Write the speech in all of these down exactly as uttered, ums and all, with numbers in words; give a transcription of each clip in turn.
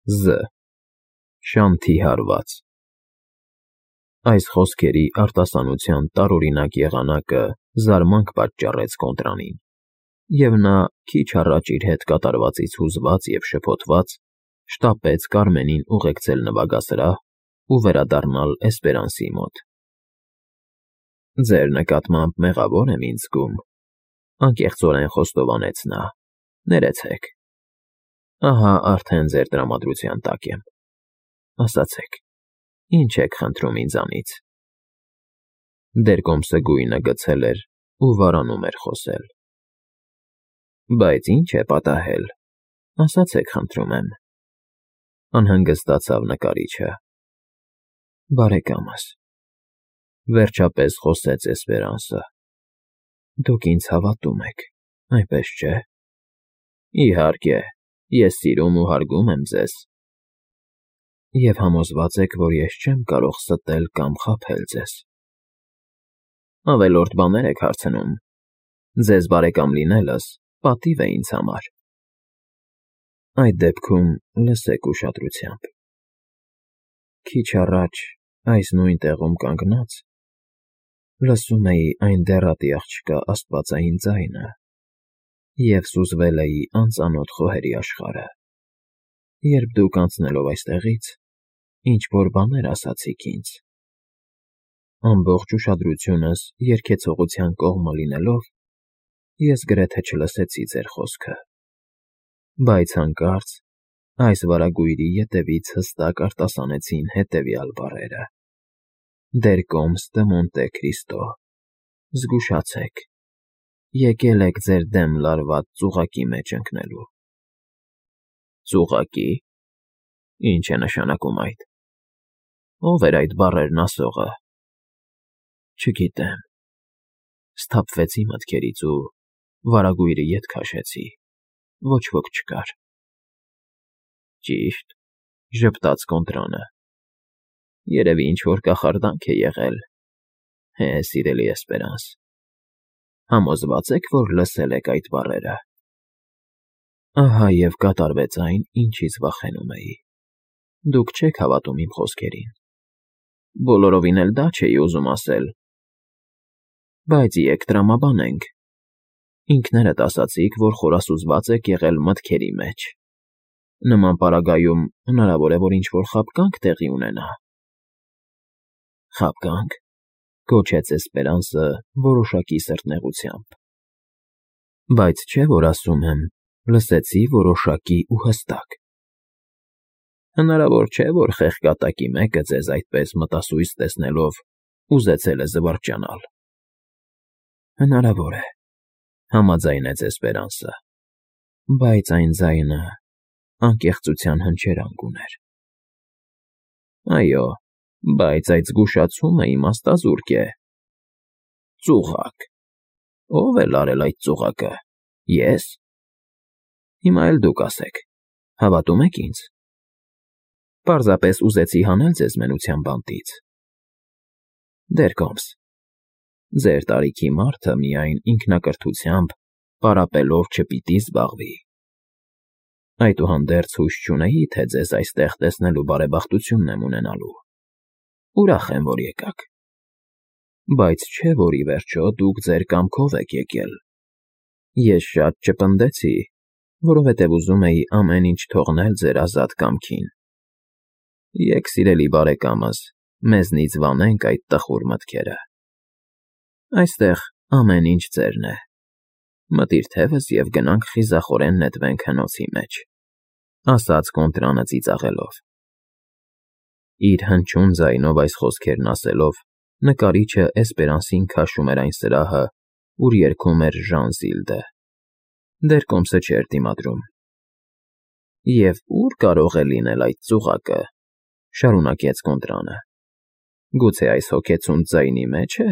Զ. Շանթի հարված։ Այս խոսքերի արտասանության տարօրինակ եղանակը զարմանք պատճառեց Կոնտրանին, և նա, քիչ առաջ իր հետ կատարվածից հուզված և շփոթված, շտապեց Կարմենին ուղեկցել նվագասրահ ու վերադառնալ Էսպերանսի մոտ։ ֊ Ձեր նկատմամբ մեղավոր եմ ինձ զգում,֊ անկեղծորեն խոստովանեց նա,֊ ներեցեք։ Ահա արդեն ձեր տրամադրության տակ եմ։ Ասացեք, ի՞նչ եք խնդրում ինձանից։ Դերկոմսը գույնը գցել էր ու վարանում էր խոսել։ ֊ Բայց ի՞նչ է պատահել, ասացեք խնդրում եմ,֊ անհանգստացավ նկարիչը։ ֊ Բարեկամս,֊ վերջապես խոսեց Էսպերանսը,֊ դուք ինձ հավատում եք, այնպես չէ՞։ Իհարկե, ես սիրում ու հարգում եմ ձեզ։ Եվ համոզված եք, որ ես չեմ կարող ստել կամ խաբել ձեզ։ Ավելորդ բաներ եք հարցնում։ Ձեզ բարեկամ լինելս պատիվ է ինձ համար։ Այդ դեպքում լսեք ուշադրությամբ։ Քիչ առաջ այս նույն տեղում կանգնած լսում էի այն դեռատի աղջկա աստվածային ձայնը և սուզվել էի անծանոթ խոհերի աշխարհը, երբ դուք անցնելով այստեղից ինչ֊որ բաներ ասացիք ինձ։ Ամբողջ ուշադրությունս երգեցողության կողմը լինելով, ես գրեթե չլսեցի ձեր խոսքը, բայց հանկարծ այս վարագույրի ետևից հստակ արտասանեցին հետևյալ բառերը. «Դերկոմս դը Մոնտե Քրիստո, զգուշացեք, եկել եք ձեր դեմ լարված ծուղակի մեջ ընկնելու»։ Ծուղակի՞։ Ի՞նչ է նշանակում այդ։ Ո՞վ էր այդ բառերն ասողը։ Չգիտեմ։ Սթափվեցի մտքերից ու վարագույրի ետ քաշեցի, ոչ ոք չկար։ Ճիշտ,֊ ժպտաց Կոնտրանը։ Երևի ինչ֊որ կախարդանք է եղել։ Հե, սիրելի Էսպերանս, համոզվա՞ծ եք, որ լսել եք այդ բառերը։ Ահա և կատարվեց այն, ինչից վախենում էի։ Դուք չեք հավատում իմ խոսքերին։ Բոլորովին էլ դա չէի ուզում ասել։ Բայց եկ տրամաբանենք։ Ինքներդ ասացիք, որ խորասուզված եք եղել մտքերի մեջ։ Նման պարագայում հնարավոր է, որ ինչ֊որ խաբկանք տեղի ունենա։ Խաբկա՞նք,֊ գոչեց Էսպերանսը որոշակի սրտնեղությամբ։ Բայց չէ՞ որ ասում եմ, լսեցի որոշակի ու հստակ։ Հնարավոր չէ, որ խեղկատակի մեկը ձեզ այդպես մտասույց տեսնելով ուզեցել է զվարճանալ։ Հնարավոր է,֊ համաձայնեց Էսպերանսը, բայց այն ձայնը անկեղծության հնչերանգ ուներ։ Այո, բայց այդ զգուշացումը իմաստազուրկ է։ Ծուղակ։ Ո՞վ է լարել այդ ծուղակը։ Ե՞ս։ Հիմա էլ դուք ասեք, հավատո՞ւմ եք ինձ։ Պարզապես ուզեցի հանել ձեզ մենության բանտից։ Դերկոմս, ձեր տարիքի մարդը միայն ինքնակրթությամբ պարապելով չպիտի զբաղվի։ Այդուհանդերձ հույս չունեի, թե ձեզ այստեղ տեսնելու բարեբախտությունն եմ ունենալու։ Ուրախ եմ, որ եկաք։ Բայց չէ՞ որ ի վերջո դուք ձեր կամքով եք եկել։ Ես շատ չպնդեցի, որովհետև ուզում էի ամեն ինչ թողնել ձեր ազատ կամքին։ Եկ, սիրելի բարեկամս, մեզնից վանենք այդ տխուր մտքերը։ Այստեղ ամեն ինչ ձերն է։ Մտիր թևս և գնանք խիզախորեն նետվենք հնոցի մեջ,֊ ասաց Կոնտրանը ծիծաղելով։ Իր հնչյուն ձայնով այս խոսքերն ասելով, նկարիչը Էսպերանսին քաշում էր այն սրահը, ուր երգում էր Ժան֊Զիլդը։ Դերկոմսը չէր դիմադրում։ Եվ ո՞ւր կարող է լինել այդ ծուղակը,֊ շարունակեց Կոնտրանը։ Գուցե այս հոգեցունց ձայնի մեջ է։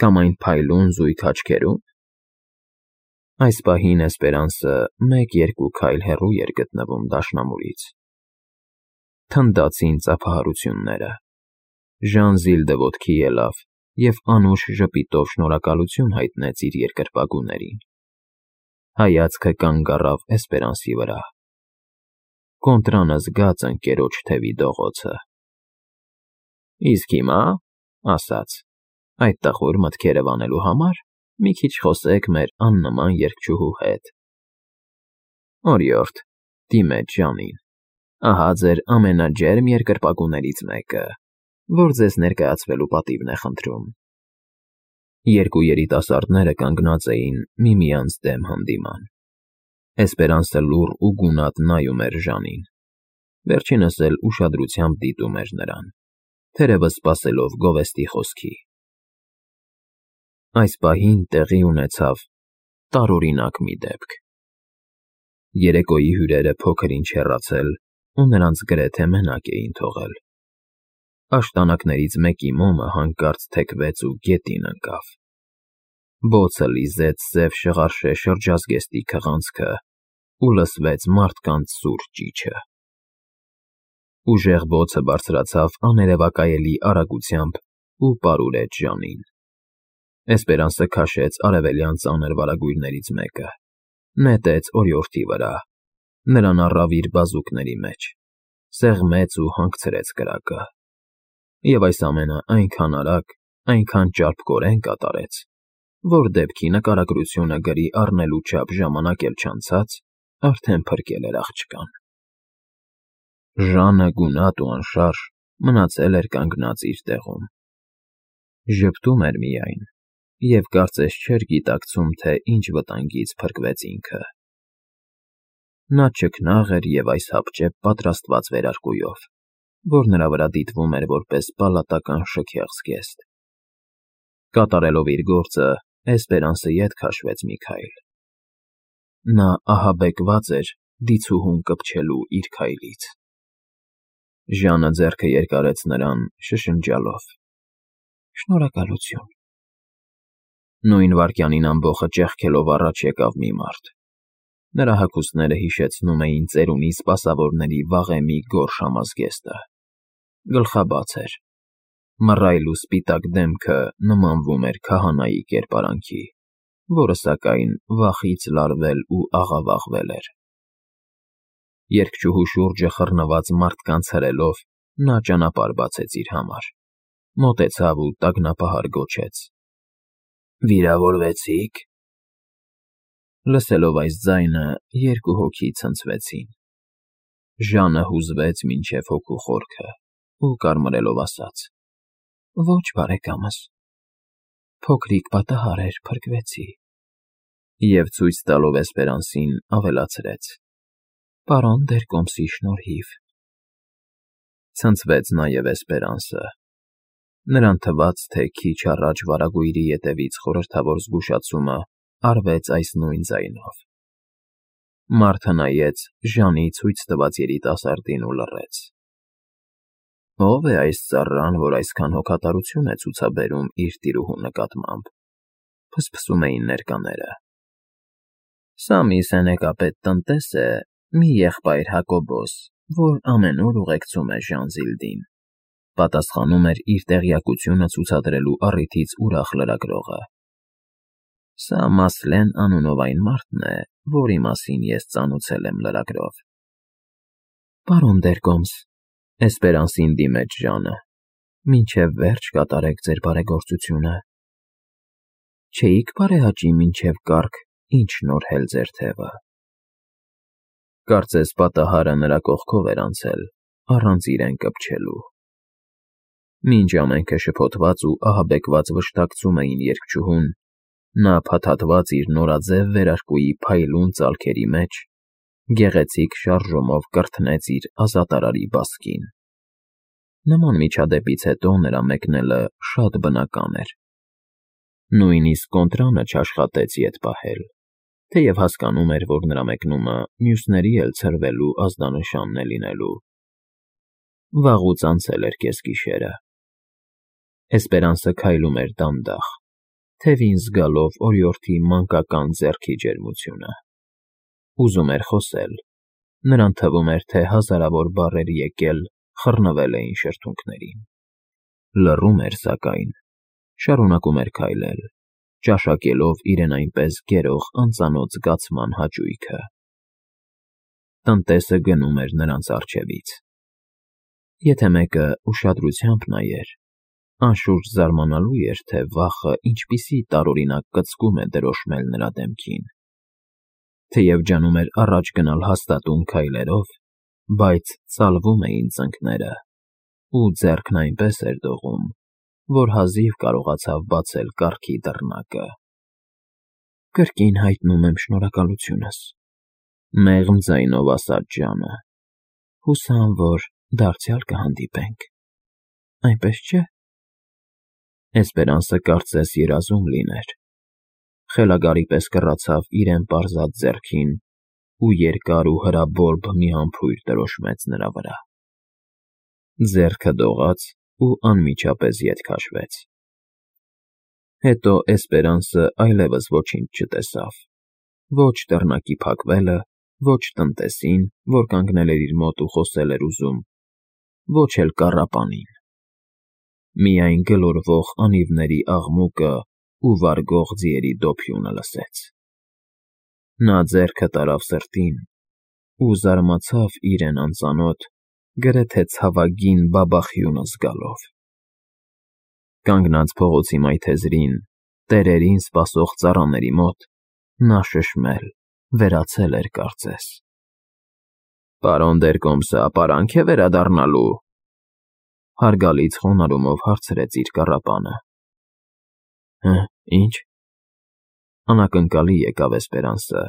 Կամ այն փայլուն զույգ աչքերում։ Այս պահին Էսպերանսը մեկ֊երկու քայլ հեռու էր գտնվում դաշնամուրից։ Թնդացին ծափահարությունները։ Ժան֊Զիլդը ոտքի ելավ և անուշ ժպիտով շնորհակալություն հայտնեց իր երկրպագուներին։ Հայացքը կանգ առավ Էսպերանսի վրա։ կոնտրանը զգաց ընկերոջ թևի դողոցը։ Իսկ հիմա, ասաց, այդ տխուր մտքերը վանելու համար մի քիչ խոսեք մեր աննման երգչուհու հետ։ Օրիորդ, դիմեց Ժանին, ահա ձեր ամենաջերմ երկրպագուներից մեկը, որ ձեզ ներկայացվելու պատիվն է խնդրում։ Երկու երիտասարդները կանգնած էին միմյանց դեմ հանդիման։ Էսպերանսը լուռ ու գունատ նայում էր Ժանին, վերջինս էլ ուշադրությամբ դիտում էր նրան, թերևս սպասելով գովեստի խոսքի։ Այս պահին տեղի ունեցավ տարօրինակ մի դեպք։ Երեկոյի հյուրերը փոքր-ինչ հեռացել ու նրանց գրեթե մենակ էին թողել։ Աշտանակներից մեկի մոմը հանկարծ թեքվեց ու գետին ընկավ։ Բոցը լիզեց սև շղարշե շրջազգեստի քղանցքը ու լսվեց մարդկանց սուր ճիչը։ Ուժեղ բոցը բարձրացավ աներևակայելի արագությամբ ու պարուրեց Ժանին։ Էսպերանսը քաշեց արևելյան ծանր վարագույրներից մեկը, նետեց օրիորդի վրա, նրան առավ իր բազուկների մեջ, սեղմեց ու հանգցրեց կրակը։ Եվ այս ամենը այնքան արագ, այնքան ճարպկորեն կատարեց, որ դեպքի նկարագրությունը գրի առնելու չափ ժամանակ էլ չանցած, արդեն փրկել էր աղջկան։ Ժանը գունատ ու անշարժ մնացել էր կանգնած իր տեղում։ Ժպտում էր միայն և կարծես չէր գիտակցում, թե ինչ վտանգից փրկվեց ինքը։ Նա ճկնաղ էր և այս հապճեպ պատրաստված վերարկուով, որ նրա վրա դիտվում էր որպես պալատական շքեղ զգեստ։ Կատարելով իր գործը, Էսպերանսը ետ քաշվեց մի քայլ։ Նա ահաբեկված էր դիցուհուն կպչելու իր քայլից։ Ժանը ձեռքը երկարեց նրան, շշնջալով. Շնորհակալություն։ Նույն վայրկյանին ամբոխը ճեղքելով առաջ եկավ մի մարդ։ Նրա հագուստները հիշեցնում էին ծերունի սպասավորների վաղեմի գորշ համազգեստը։ Գլխաբաց էր։ Մռայլ ու սպիտակ դեմքը նմանվում էր քահանայի կերպարանքի, որը, սակայն, վախից լարվել ու աղավաղվել էր։ Երգչուհու շուրջը խռնված մարդկանց հրելով, նա ճանապարհ բացեց իր համար, մոտեցավ ու տագնապահար գոչեց. Վիրավորվեցի՞ք։ Լսելով այս ձայնը, երկու հոգի ցնցվեցին։ Ժանը հուզվեց մինչև հոգու խորքը ու կարմրելով ասաց. Ոչ, բարեկամս, փոքրիկ պատահար էր, փրկվեցի։ Եվ ցույց տալով Էսպերանսին ավելացրեց. Պարոն Դերկոմսի շնորհիվ։ Ցնցվեց նաև Էսպերանսը։ Նրան թվաց, թե քիչ առաջ վարագույրի ետևից խորհրդավոր զգուշացումը արվեց այս նույն ձայնով։ Մարդը նայեց Ժանի ցույց տված երիտասարդին ու լռեց։ Ո՞վ է այս ծառան, որ այսքան հոգատարություն է ցուցաբերում իր տիրուհու նկատմամբ, փսփսում էին ներկաները։ Սա մի սենեկապետ տնտես է, մի եղբայր Հակոբոս, որ ամենուր ուղեկցում է Ժանզիլդին, պատասխանում էր իր տեղյակությունը ցուցադրելու առիթից ուրախ լրագրողը։ Սա Մասլեն անունով այն մարդն է, որի մասին ես ծանոթացել եմ լրագրով։ Պարոն Դերկոմս, Էսպերանսին դիմեց Ժանը, մինչև վերջ կատարեք ձեր բարեգործությունը։ Չէիք բարեհաճի մինչև կառք, ինչ շնորհել ձեր թևը։ Կարծես պատահարը նրա կողքով էր անցել, առանց իրեն կպչելու։ Մինչ ամենքը շփոթված ու ահաբեկված վշտակցում էին երգչուհուն, նա փաթաթված իր նորաձև վերարկուի փայլուն ծալքերի մեջ, գեղեցիկ շարժումով կրթնեց իր ազատարարի բասկին։ Նման միջադեպից հետո նրա մեկնելը շատ բնական էր։ Նույնիսկ կոնտրանը չաշխատեց ետ պահել, թեև հասկանում էր, որ նրա մեկնումը մյուսների էլ ցրվելու ազդանշանն է լինելու։ Վաղուց անցել էր կեսգիշերը։ Էսպերանսը քայլում էր դանդաղ, թևին զգալով օրիորդի մանկական ձեռքի ջերմությունը։ Ուզում էր խոսել, նրան թվում էր, թե հազարավոր բառեր եկել, խռնվել էին շրթունքներին։ Լռում էր, սակայն, շարունակում էր քայլել, ճաշակելով իրեն այնպես գերող անծանոթ զգացման հաճույքը։ Տնտեսը գնում էր նրանց առջևից։ Եթե մեկը ուշադրությամբ նայեր, անշուշտ զարմանալու էր, թե վախը ինչպիսի տարօրինակ կծկում է դրոշմել նրա դեմքին։ Թեև ջանում էր առաջ գնալ հաստատուն քայլերով, բայց ծալվում էին ծնկները, ու ձեռքն այնպես էր դողում, որ հազիվ կարողացավ բացել կառքի դռնակը։ Կրկին հայտնում եմ շնորհակալությունս, մեղմ ձայնով ասաց Ժանը։ Հուսամ, որ դարձյալ կհանդիպենք, այնպես չէ՞։ Էսպերանսը կարծես երազում լիներ, խելագարի պես կռացավ իրեն պարզած ձեռքին ու երկար ու հրաբորբ մի համբույր դրոշմեց նրա վրա։ Ձեռքը դողաց ու անմիջապես ետ քաշվեց։ Հետո Էսպերանսը այլևս ոչինչ չտեսավ, ոչ դռնակի փակվելը, ոչ տնտեսին, որ կանգնել էր իր մոտ ու խոսել էր ուզում, ոչ էլ կառապանին։ Միայն գլորվող անիվների աղմուկը ու վարգող ձիերի դոփյունը լսեց։ Նա ձեռքը տարավ սրտին ու զարմացավ իրեն անծանոթ, գրեթե ցավագին բաբախյունը զգալով։ Կանգնած փողոցի մայթեզրին, տերերին սպասող ծառաների մոտ, նա շշմել, վերացել էր կարծես։ Պարոն Դերկոմսը ապարանք է վերադառնալու, հարգալից խոնարհումով հարցրեց իր կառապանը։ Հը, ինչ։ Անակնկալի եկավ Էսպերանսը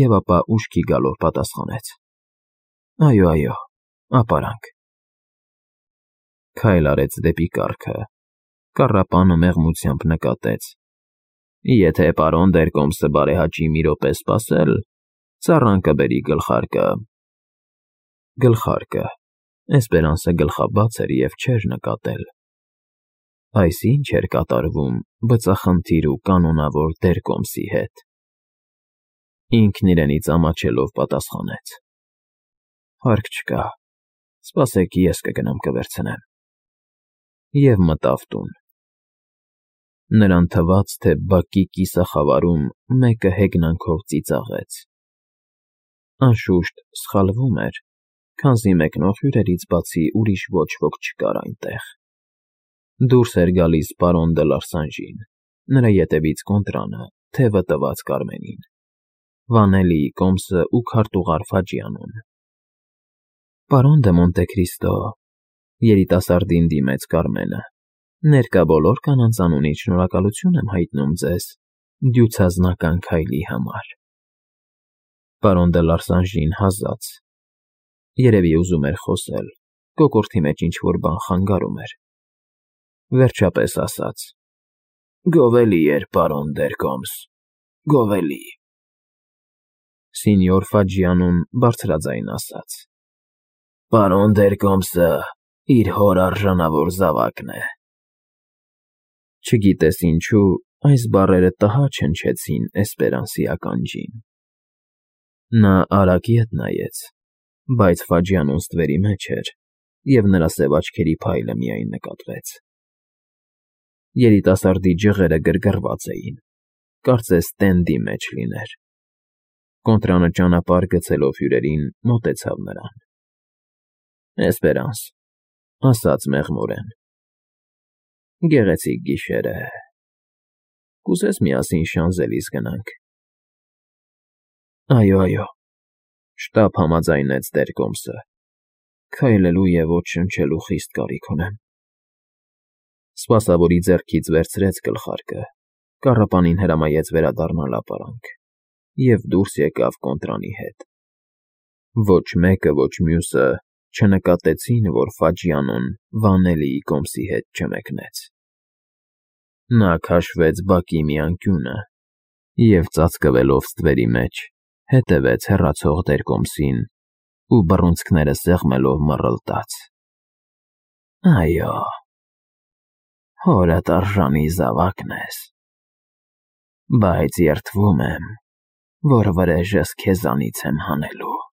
և ապա ուշքի գալով պատասխանեց. Այո, այո, ապարանք։ Քայլ արեց դեպի կառքը, կառապանը մեղմությամբ նկատեց. Եթե պարոն Դերկոմսը բարեհաճի մի րոպե սպասել, ծառան կբերի գլխարկը։ Գլխարկը։ Էսպերանսը գլխաբաց էր և չէր նկատել։ Այս ի՞նչ էր կատարվում բծախնդիր ու կանոնավոր Դերկոմսի հետ։ Ինքն իրենից ամաչելով պատասխանեց. Հարկ չկա, սպասեք, ես կգնամ կվերցնեմ։ Եվ մտավ տուն։ Նրան թվաց, թե բակի կիսախավարում մեկը հեգնանքով ծիծաղեց։ Անշուշտ սխալվում էր, քանզի մեկնող հյուրերից բացի ուրիշ ոչ ոք չկար այնտեղ։ Դուրս էր գալիս պարոն դը Լարսանժին, նրա ետևից Կոնտրանը, թևը տված Կարմենին, Վանելիի կոմսը ու քարտուղար Ֆաջիանուն։ Պարոն դը Մոնտեքրիստո, երիտասարդին դիմեց Կարմենը, ներկա բոլոր կանանց անունից շնորհակալություն եմ հայտնում ձեզ դյուցազնական քայլի համար։ Պարոն դը Լարսանժին հազաց, երևի ուզում էր խոսել, կոկորդի մեջ ինչ-որ բան խանգարում էր։ Վերջապես ասաց. Գովելի էր, պարոն Դերկոմս, գովելի։ Սինյոր Ֆաջիանուն բարձրաձայն ասաց. Պարոն Դերկոմսը իր հոր արժանավոր զավակն է։ Չգիտես ինչու, այս բառերը տհաճ հնչեցին Էսպերանսի ականջին։ Նա արագ ետ նայեց, բայց Ֆաջիանուն ստվերի մեջ էր, և նրա սև աչքերի փայլը միայն նկատվեց։ Երիտասարդի ջղերը գրգռված էին, կարծես տենդի մեջ լիներ։ Կոնտրանը ճանապարհ գցելով հյուրերին մոտեցավ նրան։ Էսպերանս, ասաց մեղմորեն, գեղեցիկ գիշեր է, կուզես միասին Շանզելիզ գնանք։ Այո, այո, շտապ համաձայնեց Դերկոմսը, քայլելու և ոտ շնչելու խիստ կարիք ունեմ։ Սպասավորի ձեռքից վերցրեց գլխարկը, կառապանին հրամայեց վերադառնալ ապարանք և դուրս եկավ Կոնտրանի հետ։ Ոչ մեկը, ոչ մյուսը չնկատեցին, որ Ֆաջիանուն Վանելիի կոմսի հետ չմեկնեց։ Նա քաշվեց բակի մի անկյունը և ծածկվելով ստվերի մեջ, հետևեց հեռացող Դերկոմսին ու բռունցքները սեղմելով մռլտաց. Այո, հորդ արժանի զավակն ես, բայց երդվում եմ, որ վրեժս քեզանից եմ հանելու։